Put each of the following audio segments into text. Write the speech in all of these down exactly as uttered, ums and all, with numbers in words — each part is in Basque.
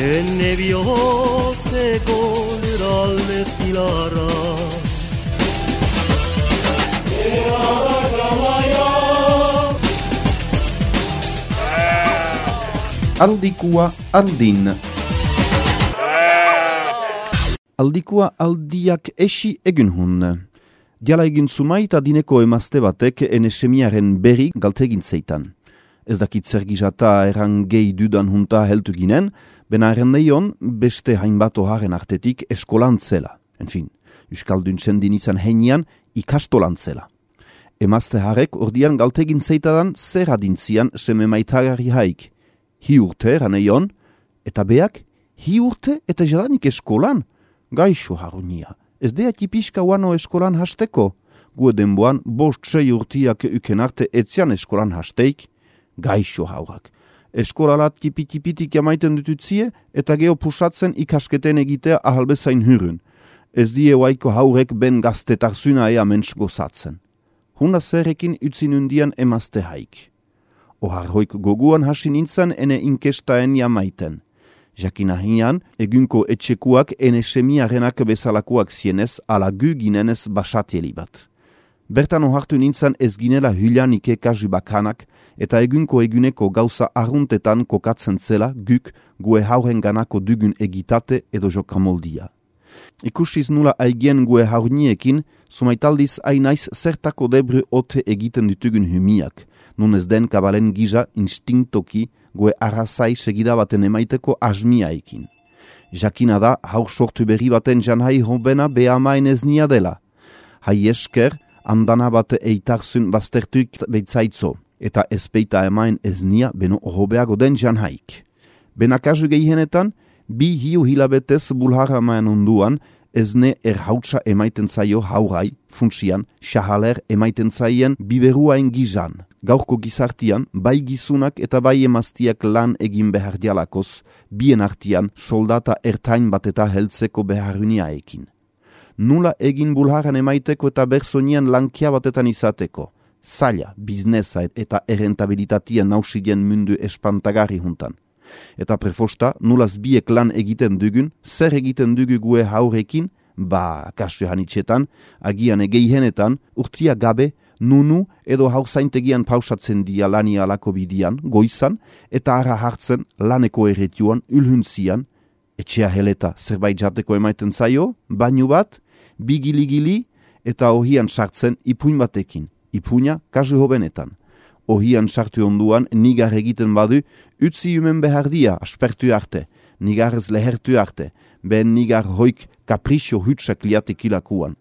Enne bihotzeko lurralde zilarra Aldikua aldin Aldikua aldiak esi egun hun. Diala egin zumaita dineko emazte batek ene semiaren berri galtegin zeitan. Ez dakit zer gizata erran gehi dudan junta heltu ginen, bena erran neion beste hainbat oharen artetik eskolan zela. Enfin, Euskaldun txendin izan heinean ikastolan zela. Emazte harek ordian galtegin zeitadan zer adintzian seme maitagarri haik. Hi urte erran neion, eta beak, hi urte eta jadanik eskolan? Gaixo harunia, ez dea tipiska wano eskolan hasteko? Gue denboan bost sei urtiak uken arte etzian eskolan hasteik? Gaixo haurak. Eskolalat tipi-tipitik jamaiten dututzie eta geho pusatzen ikasketen egitea ahalbezain hyrun. Ez die waiko haurek ben gaztetarzuna ea mensch gozatzen. Huna zerrekin utzin undian emazte haik. Ohar hoik goguan hasi nintzen ene inkestaen jamaiten. Jakina hian, egunko etxekuak ene semiarenak bezalakoak zienez ala gu ginenez basatieli bat. Bertan ohartu nintzen ez ginela hyljanike kasu bakanak eta egunko eguneko gauza arruntetan kokatzen zela guk gue hauren ganako dugun egitate edo jokamoldia. Ikusiz nula aigien gue haurniekin, sumaitaldiz ainaiz zertako debre ote egiten ditugun humiak, nun ez den kabalen giza instinktoki gue arrazai segida baten emaiteko asmiaekin. Jakina da haur sortu berri baten janhai hobena behamaen ez nia dela. Hai esker, andana bate eitarzun baztertuik beitzaitzo, eta ezpeita emaen ez nia beno hobeago den janhaik. Benakazu gehienetan, bi hiu hilabetez bulhara maen onduan, ez ne erhautsa emaiten zaio haurai, funtsian, xahaler emaiten zaien biberuain gizan. Gaurko gizartian, bai gizunak eta bai emaztiak lan egin behar dialakoz, bien artian soldata ertain bat eta heltzeko beharuniaekin. Nula egin bulharan emaiteko eta bersonian lankia batetan izateko. Zaila, biznesa eta errentabilitatia nausidien mundu espantagarri juntan. Eta prefosta, nulaz biek lan egiten dugun, zer egiten dugu gue haurekin, ba, kasu hanitxetan, agian egeihenetan, urtia gabe, nunu edo haurzaintegian pausatzen dia lani alako bidian, goizan, eta ara hartzen laneko erretioan, ulhuntzian, etxea heleta zerbait jateko emaiten zaio, bainu bat, bigili-gili, eta ohian sartzen ipuin batekin, ipuina kasu hobenetan. Ohian sartu onduan nigar egiten badu, utzi humen behar dia, aspertu arte, nigarrez lehertu arte, ben nigar hoik kaprisio hutsak liatekilakuan.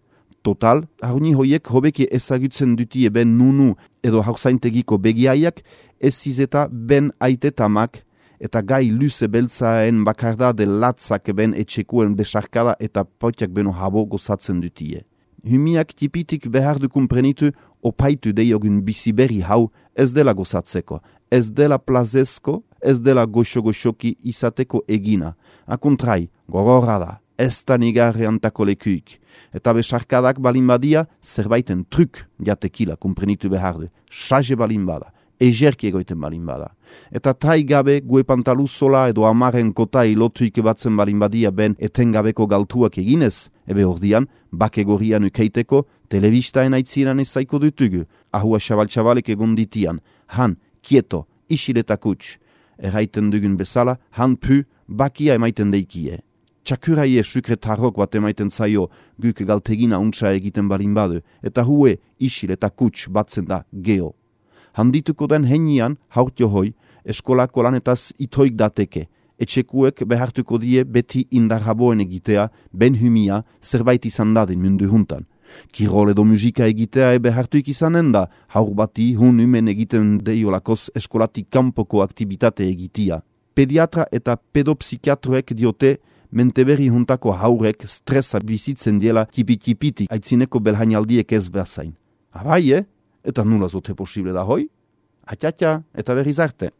Total, haruni hoiek hobeki ezagutzen dutie ben nunu edo haurzaintegiko begiaiak, ez zizeta ben aitetamak eta gai luze beltzaen bakardade latzak ben etxekuen besarkada eta potiak beno habo gozatzen dutie. Humiak tipitik behar du kumprenitu opaitu deiogun biziberri hau ez dela gozatzeko, ez dela plazezko, ez dela goxo-goxoki izateko egina. Akuntrai, gogorra da, ez da nigarre antako lekuik. Eta besarkadak balin badia, zerbaiten truk jatekila kumprenitu behar du. Saje balin bada, ejerki egoiten balin bada. Eta tai gabe gue pantalu sola edo amaren kotai lotuik batzen balin badia ben etengabeko galtuak eginez, ebe ordian, bakegorian ukeiteko, telebistaen aitziran ez zaiko dutugu, ahua xabal-xabalek egon ditian, han, kieto, isiletak utx. Erraiten dugun bezala, han pu, bakia emaiten deikie. Txakuraie sukretarrok bat emaiten zaio guk galtegina untsa egiten balin badu, eta hue isiletak utx batzen da geho. Handituko den heinian, haurtio hoi, eskolako lanetaz itoik dateke, etxekuek behartuko die beti indarraboen egitea, ben humia, zerbait izan dadin mundu juntan. Kirol edo musika egitea ebe hartuik izanen da, haur bati hun humen egiten deiolakoz eskolatik kanpoko aktibitate egitia. Pediatra eta pedopsikiatroek diote, menteberri juntako haurek stresa bizitzen diela tipi-tipitik aitzineko belhainaldiek ez behazain. Abai, eh? Eta nula zote posible da hoi? Atxatxa, eta berriz arte.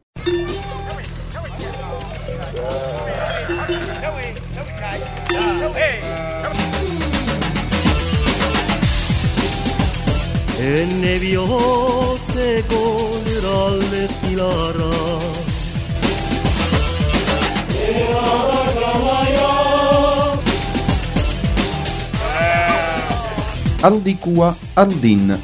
enne bihotzeko eralde zilarra. Aldikua aldin.